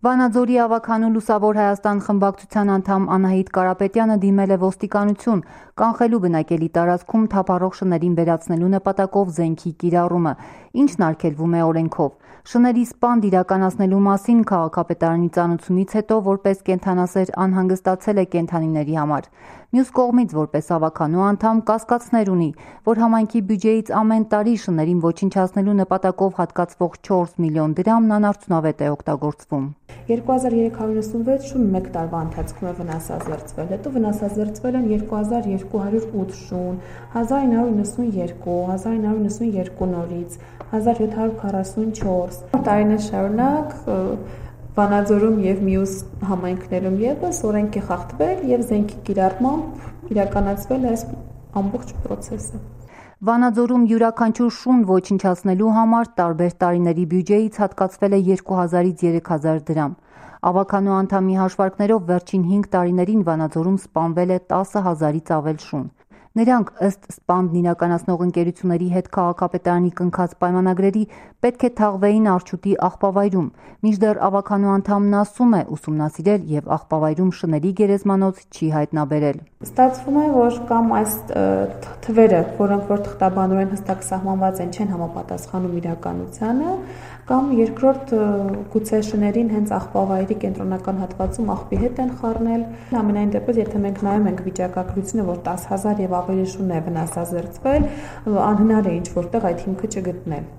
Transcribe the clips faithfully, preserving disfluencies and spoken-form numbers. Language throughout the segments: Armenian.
Վանաձորի ավագանու Լուսավոր Հայաստան խմբակցության անդամ Անահիտ Կարապետյանը դիմել է ոստիկանություն կանխելու բնակելի տարածքում թափառող շներին վերացնելու նպատակով զենքի կիրառումը, ինչն արգելվում է օրենքով։ Շների սպանդ իրականացնելու մասին քաղաքապետարանի ծանոթությունից հետո որպես կենդանասեր անհանգստացել է կենդանիների համար։ Մյուս կողմից որպես ավագանու անդամ կասկածներ ունի, որ համայնքի բյուջեից ամեն տարի շներին ոչնչացնելու նպատակով հատկացվող չորս միլիոն դրամն անարդյունավետ է օգտագործվում։ երկու հազար երեք հարյուր նվսանվեց շուն մեկ տարվա ընթացքում է վնասազերծվել, հետո վնասազերծվել են երկու հազար երկու հարյուր ութ շուն, հազար ինը հարյուր նվսանուերկու, հազար ինը հարյուր նվսանուերկու նորից, հազար յոթ հարյուր քառասունչորս տարիներ շարունակ Վանաձորում եւ մյուս համայնքներում եւս օրենք է խախտվել եւ զենքի կիրառմամբ իրականացվել այս ամբողջ process-ը։ Վանաձորում յուրաքանչյուր շուն ոչնչացնելու համար տարբեր տարիների բյուջեից հատկացվել է երկու հազարից երեք հազար դրամ։ Ավագանու անդամի հաշվարկներով վերջին հինգ տարիներին Վանաձորում սպանվել է տասը հազարից ավել շուն։ Նրանք ըստ սպանդն իրականացնող ընկերությունների հետ քաղաքապետարանի կնքած պայմանագրերի պետք է թաղվեին Արջուտի աղբավայրում, մինչդեռ ավագանու անդամն ասում է ուսումնասիրել եւ աղբավայրում շների գերեզմանոց չի հայտնաբերել։ Ստացվում է, որ կամ այս թվերը, որոնք որ թղթաբանորեն հստակ սահմանված են, չեն համապատասխանում իրականությանը, կամ երկրորդ գուցե շներին հենց աղբավայրի կենտրոնական հատվածում աղբի հետ են խառնել։ Ամենայն դեպս, եթե մենք նայում ենք վիճակագրությունը, որ տասը հազար եւ ավելի շուն է վնասազերծվել, անհնար է ինչ որտեղ այդ հիմքը չգտնել։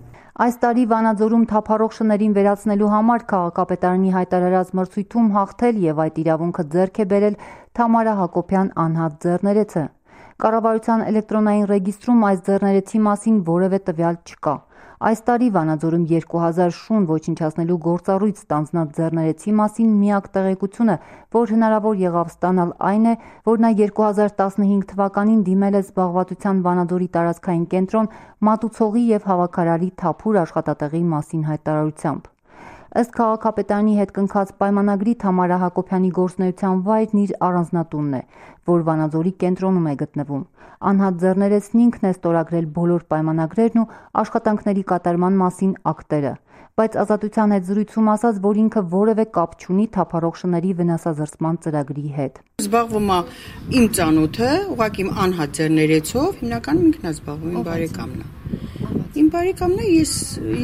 Այս տարի Վանաձորում թափառող շներին վերացնելու համար քաղաքապետարանի հայտարարած մրցույթում հաղթել եւ այդ իրավունքը ձեռք է բերել Թամարա Հակոբյան անհատ ձեռներեցը։ Կառավարության էլեկտրոնային ռեգիստրում այս ձեռներեցի մասին որևէ տվյալ չկա։ Այս տարի Վանաձորում երկու հազար շուն ոչնչացնելու գործառույթ ստանձնած ձեռներեցի մասին միակ տեղեկությունը, որ հնարավոր եղավ ստանալ, այն է, որ նա երկու հազար տասնհինգ թվականին դիմել է զբաղվածության Վանաձորի տարածքային կենտրոն մատուցողի եւ հավաքարարի թափուր աշխատատեղի մասին հայտարարությամբ։ Ըստ քաղաքապետարանի հետ կնքած պայմանագրի Թամարա Հակոբյանի գործունեության վայրն իր առանձնատունն է, որ Վանաձորի կենտրոնում է գտնվում։ Անհատ ձեռներեցն ինքն է ստորագրել բոլոր պայմանագրերն ու աշխատանքների կատարման մասին ակտերը, բայց Ազատության հետ զրույցում ասաց, որ ինքը որևէ կապ չունի թափառող շների վնասազերծման ծրագրի հետ։ Զբաղվում է իմ ծանոթը, ուղղակի իմ անհատ ձեռներեցով, հիմնականում ինքն է զբաղվում, իմ բարեկամն է։ Իմ բարեկամն է, ես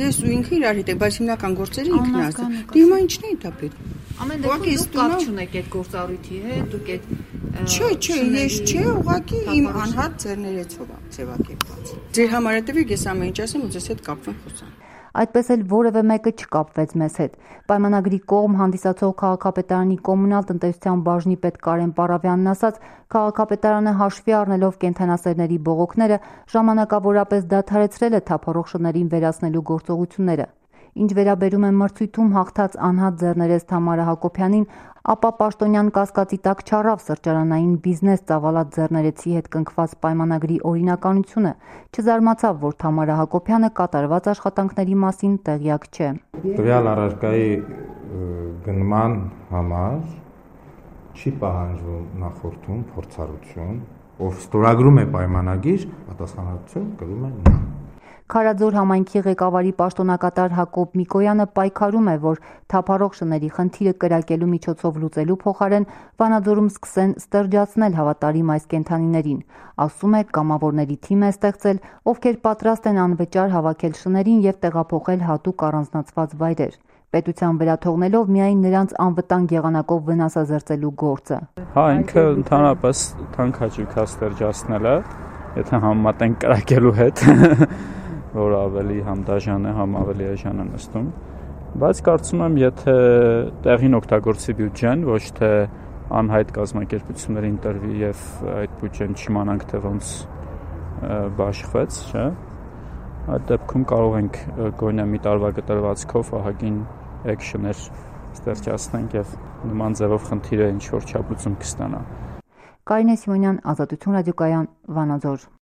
ես ու ինքը իրար հետ ենք, բայց հիմնական գործերը ինքն է ասում։ Դե հիմա ինչն է դա պետք։ Ամեն դեպքում դուք կապ չունեք այդ գործառույթի հետ, դուք այդ Չէ, չէ, ես չէ, ուղղակի իմ անհատ ձեռներեցով է ձևակերպված։ Ձեր համար հետևեք, ես ամեն ինչ ասեմ ու ձեզ հետ կապվեմ խոսամ։ Այդպես էլ որևէ մեկը չկապվեց մեզ հետ։ Պայմանագրի կողմ հանդիսացող քաղաքապետարանի կոմունալ տնտեսության բաժնի պետ Կարեն Պարավյանն ասաց, քաղաքապետարանը հաշվի առնելով կենդանասերների բողոքները ժամանակավորապես դադարեցրել է թափառող շներին վերացնելու գործողությունները։ Ինչ վերաբերում է մրցույթում հաղթած անհատ ձեռներեց Թամարա Հակոբյանին, ապա պաշտոնյան կասկածի տակ չառավ սրճարանային բիզնես ծավալած ձեռներեցի հետ կնքված պայմանագրի օրինականությունը, չզարմացավ, որ Թամարա Հակոբյանը կատարված աշխատանքների մասին տեղյակ չէ։ Տվյալ առարկայի գնման համար չի պահանջվում նախորդում փորձառություն, ով ստորագրում է պայմանագիր, պատասխանատվություն կրում է նա։ Քարաձոր համայնքի ղեկավարի պաշտոնակատար Հակոբ Միկոյանը պայքարում է, որ թափառող շների խնդիրը կրակելու միջոցով լուծելու փոխարեն Վանաձորում սկսեն ստրջացնել հավատարիմ այս կենդանիներին։ Ասում է, կամավորների թիմ է ստեղծել, ովքեր պատրաստ են անվճար հավաքել շներին եւ տեղափոխել հատուկ առանձնացված վայրեր, պետության վրա թողնելով միայն նրանց անվտանգ եղանակով վնասազերծելու գործը։ Հա, ինքը ընդհանրապես թանկաճիք է ստրջացնելը, եթե համեմատենք կրակելու հետ, որ ավելի համ դաժան է, համ ավելի էժան է նստում, բայց կարծում եմ, եթե տեղին օգտագործի բյուջեն, ոչ թե անհայտ կազմակերպություններին տրվի եւ այդ բյուջեն չիմանանք թե ոնց բաշխվեց, չէ՞։ Այդ դեպքում կարող ենք գոնե մի տարվա կտրվածքով ահագին էքշներ ստեղծենք եւ նման ձևով խնդիրը ինչ որ չափ լուծում կստանա։ Կարինե Սիմոնյան, Ազատություն ռադիոկայան, Վանաձոր։